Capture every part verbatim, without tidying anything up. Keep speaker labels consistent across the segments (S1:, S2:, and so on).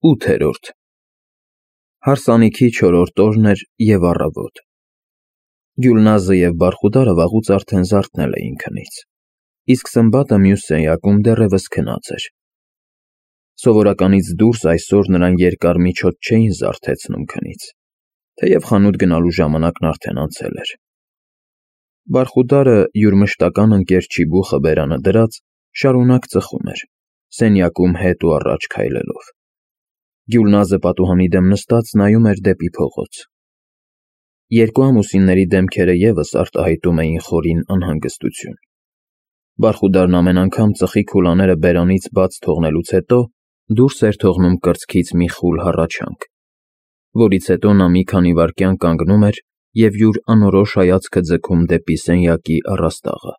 S1: ՈՒԹԵՐՈՐԴ Հարսանիքի չորրորդ օրն էր և առավոտ։ Գյուլնազը և Բարխուդարը վաղուց արդեն զարթնել էին քնից, իսկ Սմբատը մյուս սենյակում դեռևս քնած էր։ Սովորականից դուրս այսօր նրան երկար միջոց չէին զարթեցնում քնից, թեև խանութ գնալու ժամանակն արդեն անցել էր։ Բարխուդարը, յուր մշտական ընկեր Չիբուխը բերանը դրած, շարունակ ծխում էր, սենյակում հետ ու առաջ քայլելով։ Գյուլնազը պատուհանի դեմ նստած նայում էր դեպի փողոց։ Երկու ամուսինների դեմքերը ևս արտահայտում էին խորին անհանգստություն։ Բարխուդարն ամեն անգամ ծխի քուլաները բերանից բաց թողնելուց հետո դուրս էր թողնում կրծքից մի խուլ հառաչանք, որից հետո նա մի քանի վայրկյան կանգնում էր և յուր անորոշ հայացքը ձգում դեպի սենյակի առաստաղը։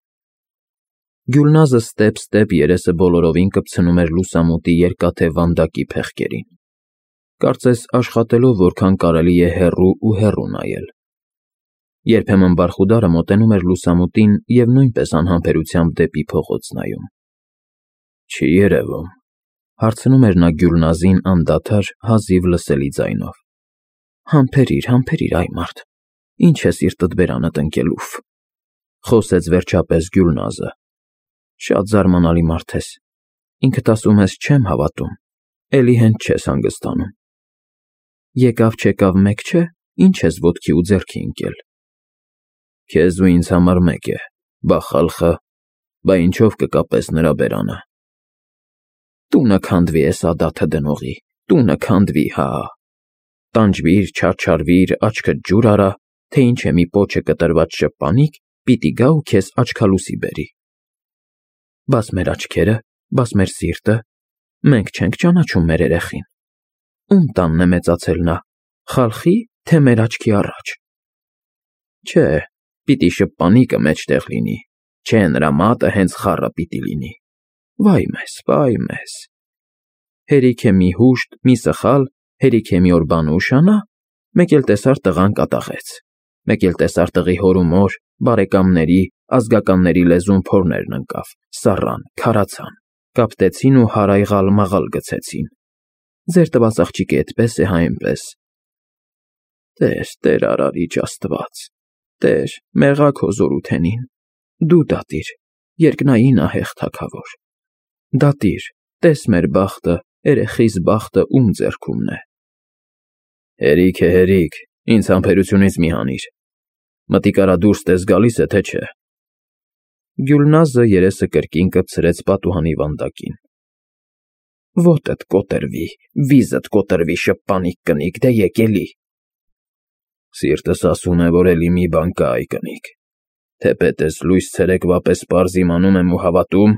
S1: Գյուլնազը ստեպ-ստեպ երեսը բոլորովին կպցնում էր լուսամուտի երկաթե վանդակի փեղկերին, կարծես աշխատելով որքան կարելի է հեռու ու հեռու նայել։ Երբեմն Բարխուդարը մոտենում էր լուսամուտին և նույնպես անհամբերությամբ դեպի փողոց նայում։ Չի երևում, հարցնում էր նա Գյուլնազին անդադար, հազիվ լսելի ձայնով։ Համբերիր, համբերիր, այ մարդ, ինչ է սիրտդ բերանդ ընկել, ուֆ, խոսեց վերջապես Գյուլնազը։ Շատ զարմանալի մարդ ես, ինքդ ասում ես չեմ հավատում, էլի հենց չես հանգստանում։ Եկավ-չեկավ մեկ չէ, ինչ ես ոտքի ու ձեռքի ընկել։ Քեզ ու ինձ համար մեկ է, բա խալխը, բա ինչով կկապես նրա բերանը։ Տունը քանդվի էս ադաթը դնողի, տունը քանդվի, հա։ Տանջվիր, չարչարվիր, աչքդ ջուր արա, թե ինչ է մի պոչը կտրված շպանիկ, պիտի գա ու քեզ աչքալուսի բերի։ Բաս մեր աչքերը, բաս մեր սիրտը, մենք չենք ճանաչում մեր երեխին։ Ում տանն է մեծացել նա, խալխի, թե մեր աչքի առաջ։ Չէ, պիտի շպանիկը մեջտեղ լինի, չէ նրա մատը հենց խառը պիտի լինի։ Վայ մեզ, վայ մեզ։ Հերիք է մի հուշտ, մի սխալ, հերիք է մի օր բանը ուշանա, մեկ էլ տեսար տղան կատաղեց, մեկ էլ տեսար տղի հոր ու մոր, բարեկամների, ազգականների լեզուն փորներն ընկավ, սառան, քարացան, կապտեցին ու հարայղալ-մաղալ գցեցին։ Ձեր տված աղջիկը էդպես է, հա էնպես։ Տեր, Տեր արարիչ Աստված, Տեր, մեղա քո զորութենին, դու դատիր, երկնային ահեղ թագավոր։ Դատիր, տես մեր բախտը, երեխիս բախտը ում ձեռքումն է։ Հերիք է, հերիք, ինձ համբերությունից մի հանիր։ Մտիկ արա դուրս տես գալիս է, թե չէ։ Գյուլնազը երեսը կրկին կպցրեց պատուհանի վանդակին։ Ոտդ կոտրվի, վիզդ կոտրվի, շպանիկ կնիկ, դե եկելի։ Սիրտս ասում է, որ էլի մի բան կա, այ կնիկ, թեպետես լույս ցերեկվա պես պարզ իմանում եմ ու հավատում,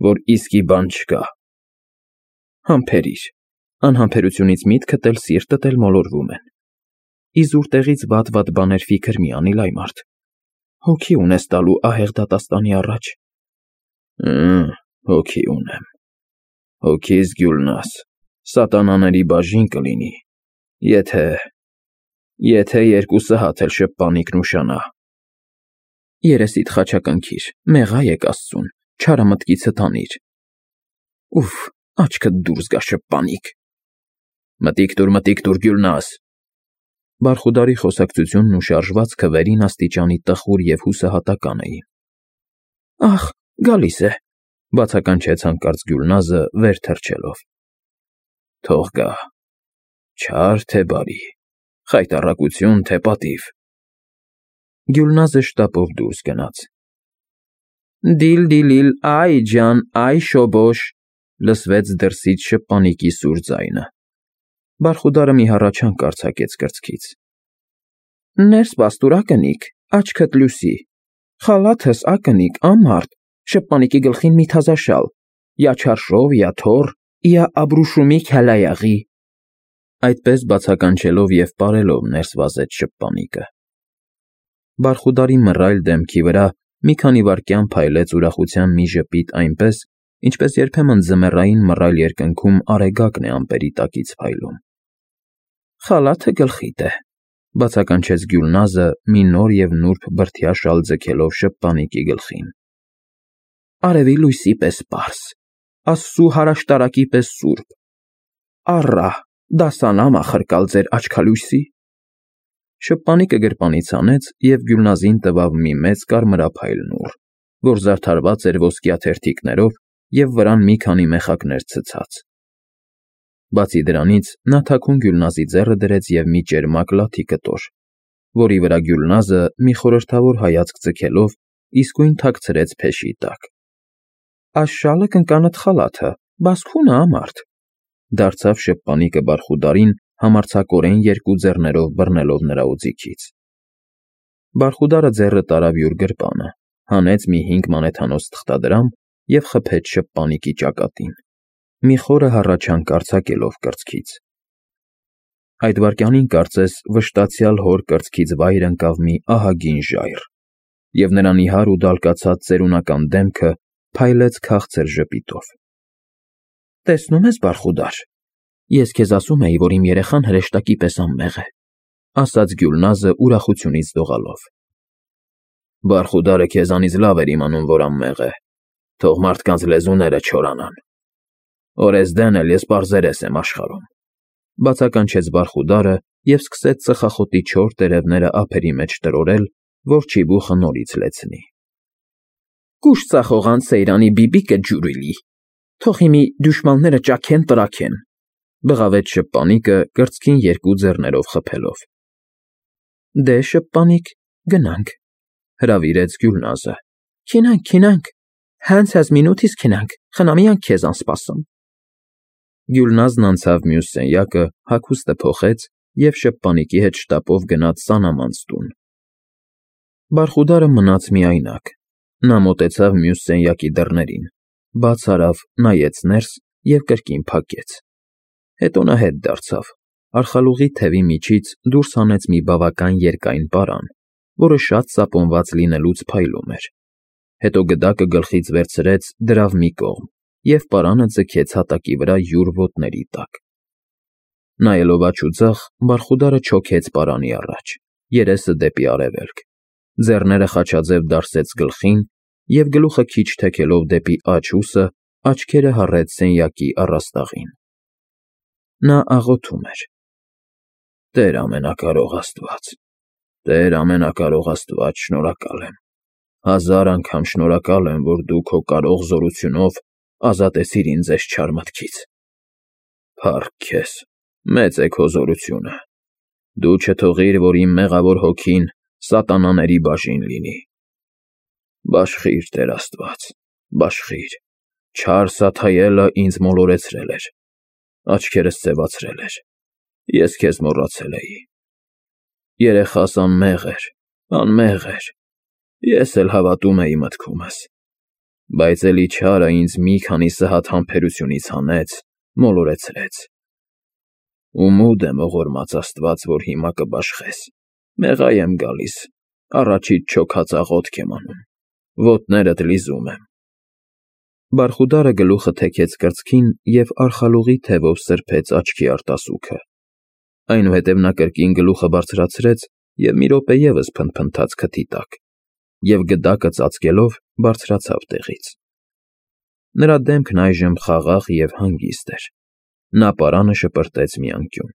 S1: որ իսկի բան չկա։ Համբերիր, անհամբերությունից միտքդ էլ սիրտդ էլ մոլորվում են։ Իզուր տեղից վատ-վատ բաներ ֆիքր մի անիլ, այ մարդ, հոգի ունես տալու ահեղ դատաստանի առաջ։ Հմ, հոգի ունեմ։ Հոգիս Գյուլնազ, սատանաների բաժին կլինի, եթե, եթե երկուսը հատ էլ շպանիկն ուշանա։ Երեսիդ խաչակնքիր, մեղա եկ Աստծուն, չարը մտքիցդ հանիր։ Ուֆ, աչքդ դուրս գա շպանիկ։ Մտիկ տուր, մտիկ տուր, Գյուլնազ։ Բարխուդարի խոսակցությունն ու շարժվածքը վերին աստիճանի տխուր և հուսահատական էին։ Ախ, գալիս է, բացականչեց հանկարծ Գյուլնազը վեր թռչելով։ Թող գա, չար թե բարի, խայտառակություն թե պատիվ։ Գյուլնազը շտապով դուրս գնաց։ Դիլ-դիլիլ, այ ջան, այ շոբոշ, լսվեց դրսից շպանիկի սուր ձայնը։ Բարխուդարը մի հառաչանք արձակեց կրծքից։ Ներս բաս տուր, ակնիկ, աչքդ լուսի, խալաթս ակնիկ, ամարդ, շպանիկի գլխին մի թազաշալ, յա չարշով, յա թոր, յա աբրուշումի քալայաղի։ Այդպես բացականչելով և պարելով ներս վազեց շպանիկը։ Բարխուդարի մռայլ դեմքի վրա մի քանի վայրկյան փայլեց ուրախության մի ժպիտ այնպես, ինչպես երբեմն ձմեռային մռայլ երկնքում արեգակն է ամպերի տակից փայլում։ Խալաթը գլխիդ է, բացականչեց Գյուլնազը մի նոր և նուրբ բրդյա շալ ձգելով շպանիկի գլխին։ Արևի լույսի պես պարզ, Աստծու հարաշտարակի պես սուրբ, Առա, դասանամ ախրկալ ձեր աչքալույսի։ Շփպանիկը գրպանից հանեց և Գյուլնազին տվավ մի մեծ կարմրափայլ նուռ, որ զարդարված էր ոսկյա թերթիկներով և վրան մի քանի մեխակներ ցցած։ Բացի դրանից նա թաքուն Գյուլնազի ձեռը դրեց և մի ճերմակ լաթի կտոր, որի վրա Գյուլնազը մի խորհրդավոր հայացք ձգելով իսկույն թաքցրեց փեշի տակ։ Աս շալը կնկանդ խալաթը, բաս քունը ամարդ, դարձավ շփպանիկը Բարխուդարին համարձակորեն երկու ձեռներով բռնելով նրա օձիքից։ Բարխուդարը ձեռը տարավ յուր գրպանը, հանեց մի հինգ մանեթանոց թղթադրամ և խփեց շփպանիկի ճակատին, մի խորը հառաչանք արձակելով կրծքից։ Այդ վայրկյանին կարծես վշտացյալ հոր կրծքից վայր ընկավ մի ահագին ժայռ, և նրա նիհար ու դալկացած ծերունական դեմքը փայլեց քաղցր ժպիտով։ Տեսնում ես, Բարխուդար, ես քեզ ասում էի, որ իմ երեխան հրեշտակի պես անմեղ է, ասաց Գյուլնազը ուրախությունից դողալով։ Բարխուդարը քեզանից լավ էր իմանում, որ անմեղ է, թող մարդկանց լեզուները չորանան։ Օրեսդեն էլ ես պարզերես եմ աշխարհում, բացականչեց Բարխուդարը և սկսեց ծխախոտի չոր տերևները ափերի մեջ տրորել, որ չիբուխը նորից լեցնի։ Կուշ ծախողան Սեյրանի բիբիկը ջուրիլի, թող հիմի դյուշմանները ճաքեն տրաքեն, բղավեց շփպանիկը կրծքին երկու ձեռներով խփելով։ Դե շփպանիկ, գնանք, հրավիրեց Գյուլնազը։ Քինանք, քինանք, հենց հեզ մինութիս քինանք, խնամյանք քեզան սպասում։ Գյուլնազն անցավ մյուս սենյակը, հագուստը փոխեց և շփպանիկի հետ շտապով գնաց սանամանց տուն։ Բարխուդարը մնաց միայնակ։ Նա մոտեցավ մյուս սենյակի դռներին, բաց արավ, նայեց ներս և կրկին փակեց։ Հետո նա հետ դարձավ, արխալուղի թևի միջից դուրս հանեց մի բավական երկայն պարան, որը շատ սապոնված լինելուց փայլում էր։ Հետո գդակը գլխից վերցրեց, դրավ մի կողմ և պարանը ձգեց հատակի վրա յուր ոտների տակ։ Նայելով աջ ու ձախ, Բարխուդարը չոքեց պարանի առաջ, երեսը դեպի արևելք, ձեռները խաչաձև դարսեց գլխին և գլուխը քիչ թեքելով դեպի աջ ուսը, աչքերը հառեց սենյակի առաստաղին։ Նա աղոթում էր. Տեր ամենակարող Աստված, Տեր ամենակարող Աստված, շնորհակալ եմ, հազար անգամ շնորհակալ եմ, որ դու քո կարող զորությունով ազատեցիր ինձ էս չար մտքից։ Փառք քեզ, մեծ է քո զորությունը, դու չթողիր, որ իմ մեղավոր հոգին սատանաների բաժին լինի։ Բաշխիր, Տեր Աստված, բաշխիր, չար Սաթայելը ինձ մոլորեցրել էր, աչքերս ձևացրել էր, ես քեզ մոռացել էի։ Երեխաս անմեղ էր, անմեղ էր, ես էլ հավատում էի մտքումս, բայց էլի չարը ինձ մի քանի սհատ համբերությունից հանեց, մոլորեցրեց։ Ու մուտ եմ ողորմած Աստված, որ հիմա կբաշխես, մեղա եմ գալիս, առաջիդ չոքած աղոթք եմ անում, ոտներդ լիզում եմ։ Բարխուդարը գլուխը թեքեց կրծքին և արխալուղի թևով սրբեց աչքի արտասուքը։ Այնուհետև նա կրկին գլուխը բարձրացրեց և մի րոպե ևս փնթփնթաց քթի տակ և գդակը ծածկելով բարձրացավ տեղից։ Նրա դեմքն այժմ խաղաղ և հանգիստ էր։ Նա պարանը շպրտեց մի անկյուն։